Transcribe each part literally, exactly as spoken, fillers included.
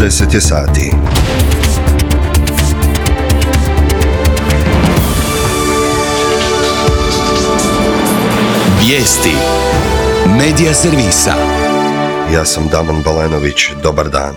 deset je sati. Vijesti Medija servisa. Ja sam Damon Balenović, dobar dan.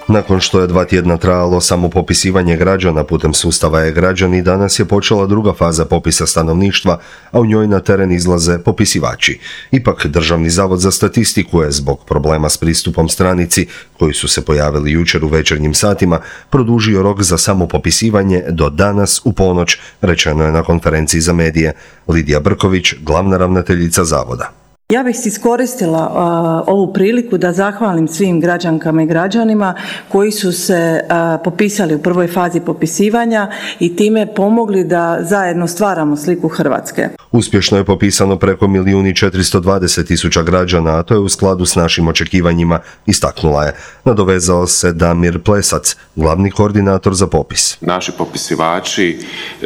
Nakon što je dva tjedna trajalo samo popisivanje građana putem sustava e-građani, danas je počela druga faza popisa stanovništva, a u njoj na teren izlaze popisivači. Ipak, Državni zavod za statistiku je zbog problema s pristupom stranici, koji su se pojavili jučer u večernjim satima, produžio rok za samo popisivanje do danas u ponoć, rečeno je na konferenciji za medije. Lidija Brković, glavna ravnateljica zavoda. Ja bih iskoristila uh, ovu priliku da zahvalim svim građankama i građanima koji su se uh, popisali u prvoj fazi popisivanja i time pomogli da zajedno stvaramo sliku Hrvatske. Uspješno je popisano preko milijun i četiristo dvadeset tisuća građana, a to je u skladu s našim očekivanjima, istaknula je. Nadovezao se Damir Plesac, glavni koordinator za popis. Naši popisivači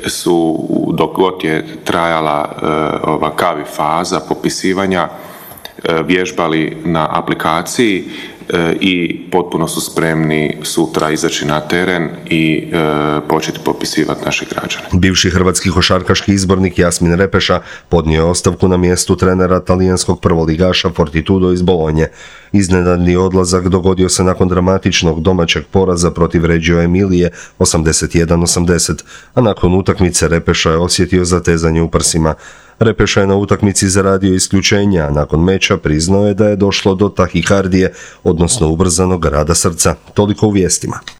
su, dok god je trajala uh, ova kavi faza popisivanja, vježbali na aplikaciji i potpuno su spremni sutra izaći na teren i e, početi popisivati naše građane. Bivši hrvatski košarkaški izbornik Jasmin Repeša podnio je ostavku na mjestu trenera talijanskog prvoligaša Fortitudo iz Bolonje. Iznenadni odlazak dogodio se nakon dramatičnog domaćeg poraza protiv Reggio Emilije osamdeset jedan osamdeset, a nakon utakmice Repeša je osjetio zatezanje u prsima. Repeša je na utakmici zaradio isključenja, a nakon meča priznao je da je došlo do tahikardije, odnosno ubrzanog rada srca. Toliko u vijestima.